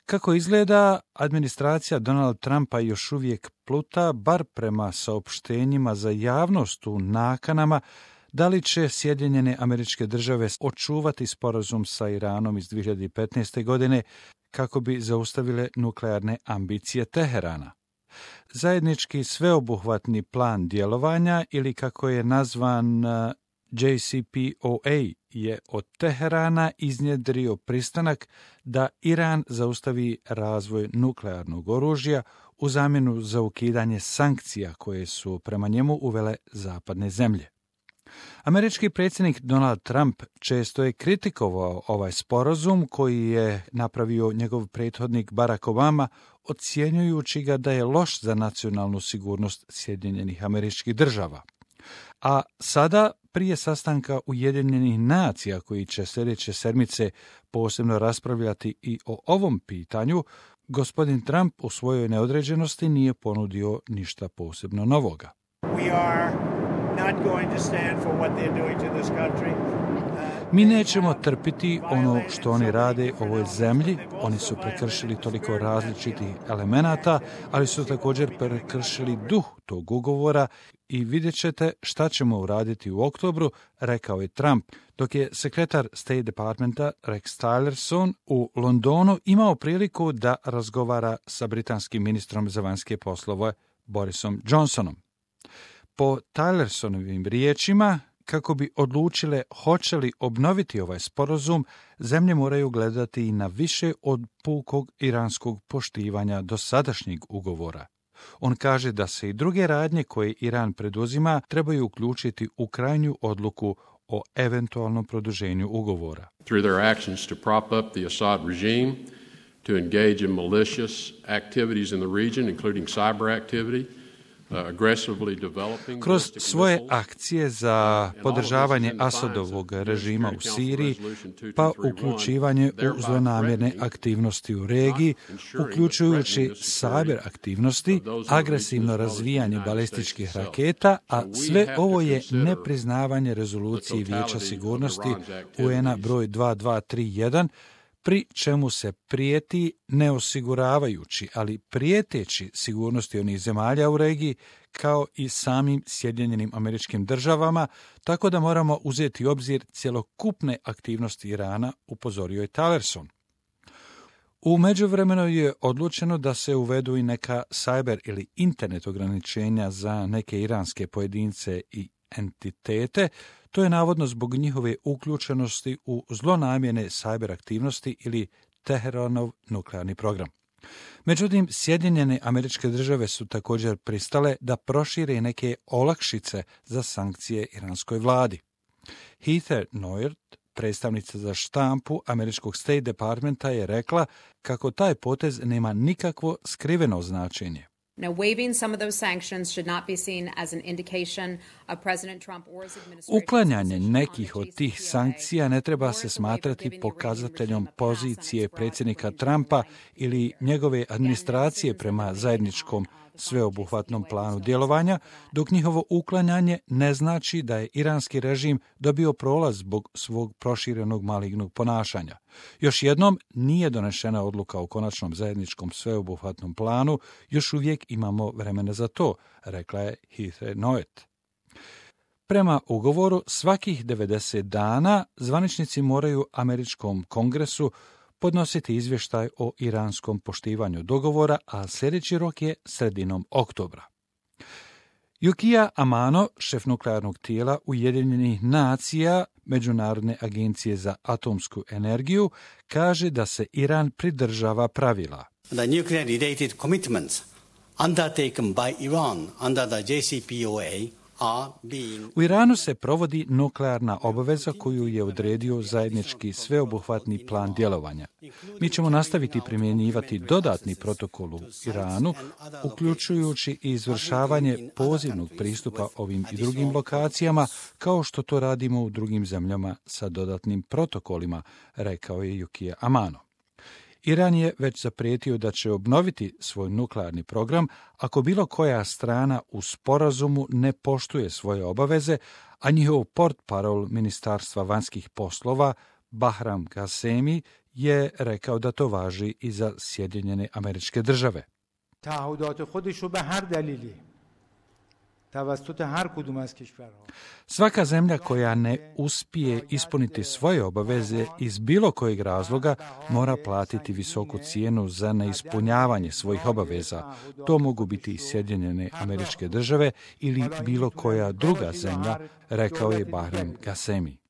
Kako izgleda, administracija Donald Trumpa još uvijek pluta, bar prema saopštenjima za javnost u nakanama, da li će Sjedinjene Američke Države očuvati sporazum sa Iranom iz 2015. godine kako bi zaustavile nuklearne ambicije Teherana. Zajednički sveobuhvatni plan djelovanja, ili kako je nazvan JCPOA, je od Teherana iznjedrio pristanak da Iran zaustavi razvoj nuklearnog oružja u zamjenu za ukidanje sankcija koje su prema njemu uvele zapadne zemlje. Američki predsjednik Donald Trump često je kritikovao ovaj sporazum koji je napravio njegov prethodnik Barack Obama, ocjenjujući ga da je loš za nacionalnu sigurnost Sjedinjenih Američkih Država. A sada, prije sastanka Ujedinjenih nacija koji će sljedeće sedmice posebno raspravljati i o ovom pitanju, gospodin Trump u svojoj neodređenosti nije ponudio ništa posebno novoga. Mi nećemo trpiti ono što oni rade ovoj zemlji. Oni su prekršili toliko različitih elemenata, ali su također prekršili duh tog ugovora i vidjet ćete šta ćemo uraditi u oktobru, rekao je Trump, dok je sekretar State Departmenta Rex Tillerson u Londonu imao priliku da razgovara sa britanskim ministrom za vanjske poslove Borisom Johnsonom. Po Tillersonovim riječima, kako bi odlučile hoće li obnoviti ovaj sporazum, zemlje moraju gledati i na više od pukog iranskog poštivanja dosadašnjeg ugovora. On kaže da se i druge radnje koje Iran preduzima trebaju uključiti u krajnju odluku o eventualnom produženju ugovora. Through their actions to prop up the Assad regime, to engage in malicious activities in the region, including cyber activity, kroz svoje akcije za podržavanje Asadovog režima u Siriji, pa uključivanje u zlonamjerne aktivnosti u regiji, uključujući cyber aktivnosti, agresivno razvijanje balističkih raketa, a sve ovo je nepriznavanje rezolucije Vijeća sigurnosti UN-a broj 2231, pri čemu se prijeti ne osiguravajući, ali prijeteći sigurnosti onih zemalja u regiji, kao i samim Sjedinjenim Američkim Državama, tako da moramo uzeti u obzir cjelokupne aktivnosti Irana, upozorio je Tillerson. U međuvremenu je odlučeno da se uvedu i neka cyber ili internet ograničenja za neke iranske pojedince i entitete. To je navodno zbog njihove uključenosti u zlonamjerne cyber aktivnosti ili Teheranov nuklearni program. Međutim, Sjedinjene Američke Države su također pristale da prošire neke olakšice za sankcije iranskoj vladi. Heather Nauert, predstavnica za štampu američkog State Departmenta, je rekla kako taj potez nema nikakvo skriveno značenje. Now, waiving some of those sanctions should not be seen as an indication of President Trump or his administration. Uklanjanje nekih od tih sankcija ne treba se smatrati pokazateljom pozicije predsjednika Trumpa ili njegove administracije prema zajedničkom sveobuhvatnom planu djelovanja, dok njihovo uklanjanje ne znači da je iranski režim dobio prolaz zbog svog proširenog malignog ponašanja. Još jednom, nije donešena odluka o konačnom zajedničkom sveobuhvatnom planu, još uvijek imamo vremena za to, rekla je Heather Nauert. Prema ugovoru, svakih 90 dana zvaničnici moraju američkom kongresu podnositi izvještaj o iranskom poštivanju dogovora, a sljedeći rok je sredinom oktobra. Yukio Amano, šef nuklearnog tijela Ujedinjenih nacija, Međunarodne agencije za atomsku energiju, kaže da se Iran pridržava pravila. The nuclear-related commitments undertaken by Iran under the JCPOA U Iranu se provodi nuklearna obaveza koju je odredio zajednički sveobuhvatni plan djelovanja. Mi ćemo nastaviti primjenjivati dodatni protokol u Iranu, uključujući i izvršavanje pozivnog pristupa ovim i drugim lokacijama, kao što to radimo u drugim zemljama sa dodatnim protokolima, rekao je Yukio Amano. Iran je već zaprijetio da će obnoviti svoj nuklearni program ako bilo koja strana u sporazumu ne poštuje svoje obaveze, a njihov portparol Ministarstva vanjskih poslova Bahram Ghasemi je rekao da to važi i za Sjedinjene Američke Države. Svaka zemlja koja ne uspije ispuniti svoje obaveze iz bilo kojeg razloga mora platiti visoku cijenu za neispunjavanje svojih obaveza. To mogu biti i Sjedinjene Američke Države ili bilo koja druga zemlja, rekao je Bahrem Ghasemi.